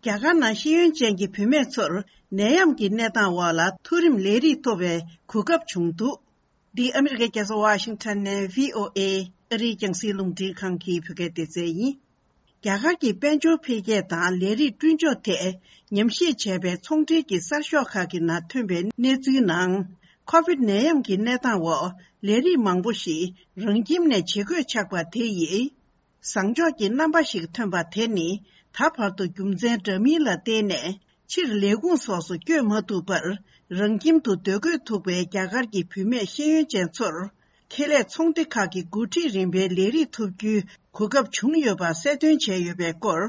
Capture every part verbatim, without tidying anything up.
རྒྱ་གར་ནང་ཤེས་ཡོན་ཅན་གྱི་བུད་མེད་ཚོར་ནད་ཡམས་ཀྱི་གནས་སྟངས་འོག་ལ་མཐོ་རིམ་ལས་རིགས་ཐོབ་པའི་གོ་སྐབས་བྱུང་འདུག་འདི་ཨ་མི་རི་ཀའི་རྒྱལ་ས་ཝ་ཤིང་ཊོན་ནས་བྷི་ཨོ་ཨེ་ཨ་རིའི་རྒྱང་སྲིང་རླུང་འཕྲིན་ཁང་གི་བོད་སྐད་སྡེ་ཚན་ཡིན། རྒྱ་གར་གྱི་དཔལ་འབྱོར་འཕེལ་རྒྱས་དང་ལས་རིགས་སྐྲུན་ཕྱོགས་ཐད་ཉམས་ཞིབ་བྱས་པའི་ཚོང་འབྲེལ་གྱི་གསར་ཤོག་ཁག་གི་ནང་ཐོན་པའི་གནས་ཚུལ་ནང་། ཁོ་བིད་ནད་ཡམས་ཀྱི་གནས་སྟངས་འོག་ལས་རིགས་མང་པོ་ཞིག་རང་ཁྱིམ་ནས་བྱེད་དགོས་ཆགས་པ་དེ་ཡིས། བཟང་ཕྱོགས་ཀྱི་རྣམ་པ་ཞིག་ཐོན་པ་དེ་ནི་ད་བར་དུ་རྒྱུ་མཚན་འདྲ་མིན་ལ་བརྟེན་ནས་ཕྱིར་ལས་ཁུངས་སོགས་སུ་བསྐྱོད་མ་ཐུབ་པར་རང་ཁྱིམ་དུ་སྡོད་དགོས་ཐུག་པའི་རྒྱ་གར་གྱི་བུད་མེད་ཤེས་ཡོན་ཅན་ཚོར། ཁེ་ལས་ཚོང་སྡེ་ཁག་གི་འགོ་ཁྲིད་རིམ་པའི་ལས་རིགས་ཐོབ་རྒྱུའི་གོ་སྐབས་བྱུང་ཡོད་པ་གསལ་སྟོན་བྱས་ཡོད་པའི་སྐོར།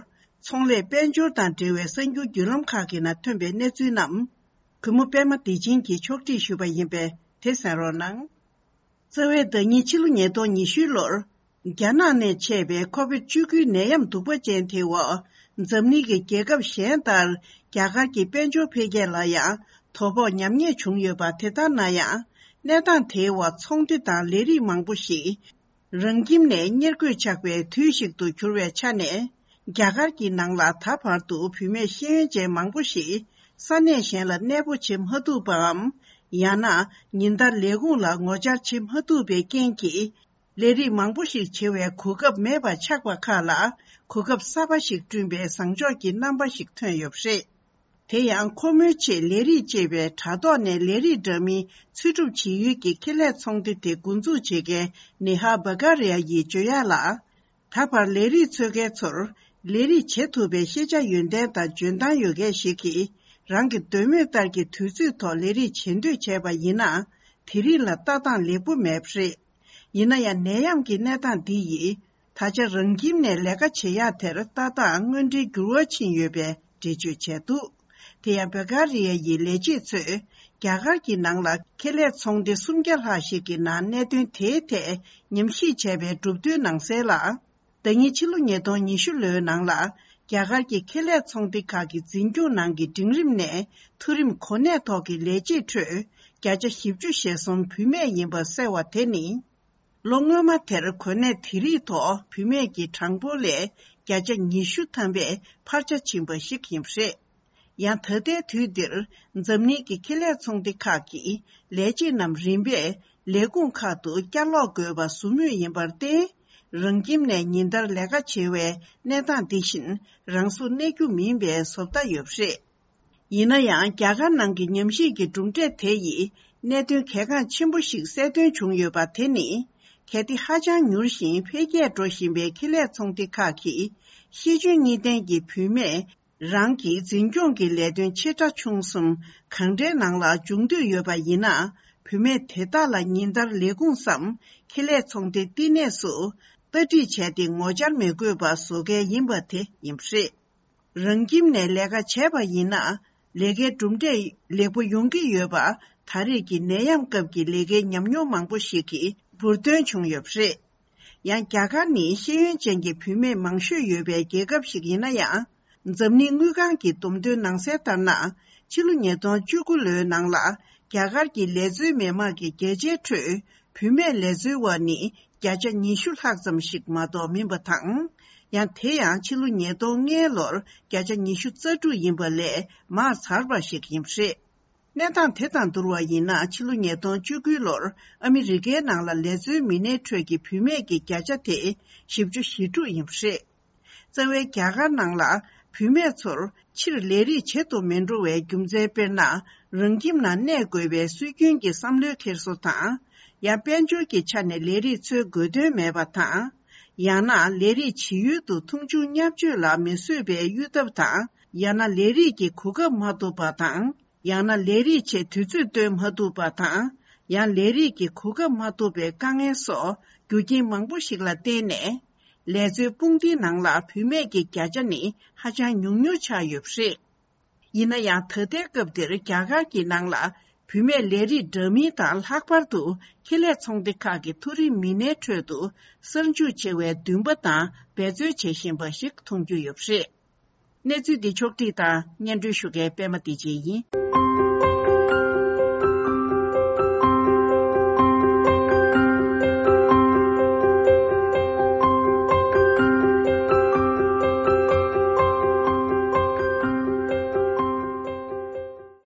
ཚོང་ལས་དཔལ་འབྱོར་དང་འབྲེལ་བའི་གསར་འགྱུར་བརྒྱུད་ལམ་ཁག་གི་ནང་ཐོན་པའི་གནས་ཚུལ་རྣམས། གུས་མོ་པད་མ་བདེ་ཆེན་གྱིས་ཕྱོགས་སྒྲིག་ཞུས་པ་ཡིན་པས་དེ་གསན་རོགས་གནང་། རྩ་བའི་ཟླ་ཉིན་ཕྱི་ལོ་ཉིས་སྟོང་ཉི་ཤུ་ལོར། རྒྱ་ནག་ནས་མཆེད་པའི་ཁོ་བིད་བཅུ་དགུའི་ནད་ཡམས་གདུག་པ་ཅན་དེ་འོག་འཛམ་གླིང་གི་རྒྱལ་ཁབ་གཞན་ལྟར། རྒྱ་གར་གྱི་དཔལ་འབྱོར་འཕེལ་རྒྱས་ལ་ཡང་དོ་ཕོག་ཉམས་ཉེས་བྱུང་ཡོད་པ་དེ་ལྟར་ན་ཡང་། གནས་སྟངས་དེའི་འོག་ཚོང་སྡེ་དང་ལས་རིགས་མང་པོ་ཞིག་རང་ཁྱིམ་ནས་གཉེར་དགོས་ཆགས་པའི་དུས་ཤིག་ཏུ་གྱུར་བའི་ཆ་ནས། རྒྱ་གར་གྱི་ནང་ལ་ད་བར་དུ་བུད་མེད་ཤེས་ཡོན་ཅན་མང་པོ་ཞིག་ས་གནས་གཞན་ལ་གནས་སྤོ་བྱེད་མ་ཐུབ་པའམ། ཡང་ན་ཉིན་ལྟར་ལས་ཁུངས་ལ་ངོ་བཅར་བྱེད་མ་ཐུབ་པའི་རྐྱེན་གྱིས། ལས་རིགས་མང་པོ་ཞིག་བྱེད་པའི་གོ་སྐབས་མེད་པ་ཆགས་པ་ཁག་ལ། གོ་སྐབས་གསར་པ་ཞིག་བསྐྲུན་པའི་བཟང་ཕྱོགས་ཀྱི་རྣམ་པ་ཞིག་ཐོན་ཡོད་པ་རེད། དེ་ཡང་ཁོ་མོའི་ཆེད་ལས་རིགས་ཅེས་པའི་དྲ་ཐོག་ནས་ལས་རིགས་འདྲ་མིན་འཚོལ་སྒྲུབ་བྱེད་ཡུལ་གྱི་ཁེ་ལས་ཚོང་སྡེ་དེ་འགོ་འཛུགས་བྱེད་མཁན་ནེ་ཧ་བྷ་ག་རི་ཡ་ཡིས་བརྗོད་ཡག་ལ། ད་བར་ལས་རིགས་འཚོལ་མཁན་ཚོར་ལས་རིགས་བྱེད་ཐུབ་པའི་ཤེས་བྱ་ཡོན་ཏན་དང་འཇོན་ཐང་ཡོད་མཁན་ཞིག་གིས་རང་གི་འདོད་མོས་ལྟར་གྱི་དུས་ཚོད་ཐོག་ལས་རིགས་བྱེད་འདོད་བྱས་པ་ཡིན་ན། དེ་རིགས་ལ་ལྟ་སྟངས་ལེགས་པོ་མེད་པ་རེད། ཡིན་ན་ཡང་ནད་ཡམས་ཀྱི་གནས་སྟངས་འདི་ཡིས། ད་ཆ་རང་ཁྱིམ་ནས་ལས་ཀ་བྱེད་ཡག་དེར་ལྟ་སྟངས་དངོས་འབྲེལ་འགྱུར་བ་ཕྱིན་ཡོད་པའི་འགྲེལ་བརྗོད་བྱས་འདུག་དེ་ཡང་བྷ་ག་རི་ཡ་ཡི་ལས་བྱེད་ཚོས་རྒྱ་གར་གྱི་ནང་ལ་ཁེ་ལས་ཚོང་སྡེ་སུམ་བརྒྱ་ལྷག་ཞིག་གི་ནང་གནད་དོན་དེའི་ཐད་ཉམས་ཞིབ་བྱས་པའི་གྲུབ་དོན་ནང་གསལ་ལ། ཟླ་ཉིན་ཕྱི་ལོ་ཉིས་སྟོང་ཉི་ཤུ་ལོའི་ནང་ལ་རྒྱ་གར་གྱི་ཁེ་ལས་ཚོང་སྡེ་ཁག་གི་འཛིན་སྐྱོང་ནང་གི་འབྲིང་རིམ་ནས་མཐོ་རིམ་གོ་གནས་ཐོག་གི་ལས་བྱེད་ཁྲོད་བརྒྱ་ཆ་བཞི་བཅུ་ཞེ་གསུམ་བུད་མེད་ཡིན་པ་གསལ་བ་དེ་ནི། ལོ་སྔོན་མ་དེར་གོ་གནས་དེ་རིགས་ཐོག་བུད་མེད་ཀྱི་གྲངས་འབོར་ལས་བརྒྱ་ཆ་ཉི་ཤུ་ཐམ་པས་འཕར་ཆ་ཕྱིན་པ་ཞིག་ཡིན་པ་རེད། ཡང་ད་ལྟའི་དུས་འདིར་འཛམ་གླིང་གི་ཁེ་ལས་ཚོང་སྡེ་ཁག་གིས་ལས་བྱེད་རྣམས་རིམ་པས་ལས་ཁུངས་ཁག་ཏུ་བསྐྱར་ལོག་དགོས་པ་བཟོ་མུས་ཡིན་པར་བརྟེན། རང་ཁྱིམ་ནས་ཉིན་ལྟར་ལས་ཀ་བྱེད་པའི་གནས་སྟངས་འདི་བཞིན་རང་སོར་གནས་རྒྱུ་མིན་པའི་བཟོ་ལྟ་ཡོད་པ་རེད། ཡིན་ན་ཡང་རྒྱ་གར་ནང་གི་ཉམས་ཞིབ་ཀྱི་གྲུབ་འབྲས་དེ་ཡིས་གནད་དོན་གལ་འགངས་ཆེན་པོ་ཞིག་གསལ་སྟོན་བྱུང་ཡོད་པ་དེ་ནི། གལ་ཏེ་ཧ་ཅང་མྱུར་ཞིང་འཕེལ་རྒྱས་འགྲོ་བཞིན་པའི་ཁེ་ལས་ཚོང་སྡེ་ཁག་གིས་ཤེས་འཇོན་གཉིས་ལྡན་གྱི་བུད་མེད་རང་གི་འཛིན་སྐྱོང་གི་ལས་དོན་ཆེ་ཕྲ་ཆུང་གསུམ་གང་འདྲའི་ནང་ལ་འཇུག་འདོད་ཡོད་པ་ཡིན་ན། བུད་མེད་དེ་དག་ལ་ཉིན་ལྟར་ལས་ཁུངས་སམ་ཁེ་ལས་ཚོང་སྡེ་བསྟི་གནས་སུ་ལྟ་ཁྲིད་བྱས་ཏེ་ངོ་བཅར་མི་དགོས་པ་བཟོ་གལ་ཡིན་པ་དེ་ཡིན་པ་རེད། རང་ཁྱིམ་ནས་ལས་ཀ་བྱས་པ་ཡིན་ན། ལས་ཀའི་གྲུབ་འབྲས་ལེགས་པོ་ཡོང་གི་ཡོད་པ། ད་རེས་ཀྱི་ནད་ཡམས་སྐབས་ཀྱི་ལས་ཀའི་ཉམས་མྱོང་མང་པོ་ཞིག་གིས་འབུར་འདོན་བྱུང་ཡོད་པ་རེད། ཡང་རྒྱ་གར་ནི་ཤེས་ཡོན་ཅན་གྱི་བུད་མེད་མང་ཤོས་ཡོད་པའི་རྒྱལ་ཁབ་ཞིག་ཡིན་ན་ཡང་། འཛམ་གླིང་དངུལ་ཁང་གི་བསྡོམས་ཐོན་ནང་གསལ་ལྟར་ན། ཕྱི་ལོ་ཉིས་སྟོང་བཅུ་དགུ་ལོའི་ནང་ལ་རྒྱ་གར་གྱི་ལས་འཛུལ་མི་མང་གི་བརྒྱ་ཆའི་ཁྲོད་བུད་མེད་ལས་འཛུལ་བ་ནི་བརྒྱ་ཆ་ཉི་ཤུ་ལྷག་ཙམ་ཞིག་མ་གཏོགས་མིན་པ་དང་། ཡང་དེ་ཡང་ཕྱི་ལོ་ཉིས་སྟོང་ལྔའི་ལོར་བརྒྱ་ཆ་ཉི་ཤུ་རྩ་དྲུག་ཡིན་པ་ལས་མར་ཚར་བ་ཞིག་ཡིན་པ་རེད། གནས་སྟངས་དེ་དང་བསྡུར་བ་ཡིན་ན། ཕྱི་ལོ་ཉིས་སྟོང་བཅུ་དགུའི་ལོར་ཨ་མི་རི་ཀའི་ནང་ལ་ལས་འཛུལ་མི་སྣའི་ཁྲོད་ཀྱི་བུད་མེད་ཀྱི་བརྒྱ་ཆ་དེ་བཞི་བཅུ་ཞེ་དྲུག་ཡིན་པ་རེད། རྩ་བའི་རྒྱ་གར་ནང་ལ་བུད་མེད་ཚོར་ཕྱིར་ལས་རིགས་བྱེད་དུ་མི་འགྲོ་བའི་རྒྱུ་མཚན་དཔེར་ན། རང་ཁྱིམ་ནང་གནས་དགོས་པའི་སྲོལ་རྒྱུན་གྱི་བསམ་བློའི་འཁྱེར་སོ་དང་། ཡང་དཔལ་འབྱོར་གྱི་ཆ་ནས་ལས་རིགས་འཚོལ་དགོས་དོན་མེད་པ་དང་། ཡང་ན་ལས་རིགས་བྱེད་ཡུལ་དུ་མཐོང་ཆུང་བརྙས་བཅོས་ལ་མི་བཟོད་པའི་གཡུལ་འཐབ་དང་། ཡང་ན་ལས་རིགས་ཀྱི་གོ་སྐབས་མ་ཐོབ་པ་དང་། ཡང་ན་ལས་རིགས་ཆེད་དུས་ཚོད་བཏོན་མ་ཐུབ་པ་དང་། ཡང་ལས་རིགས་ཀྱི་གོ་སྐབས་མ་ཐོབ་པའི་དཀའ་ངལ་སོགས་རྒྱུ་རྐྱེན་མང་པོ་ཞིག་ལ་བརྟེན་ནས། ལས་འཚོལ་དཔུང་སྡེའི་ནང་ལ་བུད་མེད་ཀྱི་བརྒྱ་ཆ་ནི་ཧ་ཅང་ཉུང་ཉུང་ཆགས་ཡོད་པ་རེད། ཡིན་ན་ཡང་ད་ལྟའི་སྐབས་འདིར་རྒྱ་གར་གྱི་ནང་ལ་བུད་མེད་ལས་རིགས་འདྲ་མིན་དང་། ལྷག་པར་དུ་ཁེ་ལས་ཚོང་སྡེ་ཁག་གི་མཐོ་རིམ་མི་སྣའི་ཁྲོད་དུ་གསར་འཇུག་ཆེ་བའི་འདུན་པ་དང་འབད་རྩོལ་བྱེད་བཞིན་པ་ཞིག་མཐོང་རྒྱུ་ཡོད་པ་རེད། གནས་ཚུལ་འདི་ཕྱོགས་བསྒྲིགས་དང་སྙན་སྒྲོན་ཞུ་མཁན་པད་མ་བདེ་ཆེན་ཡིན།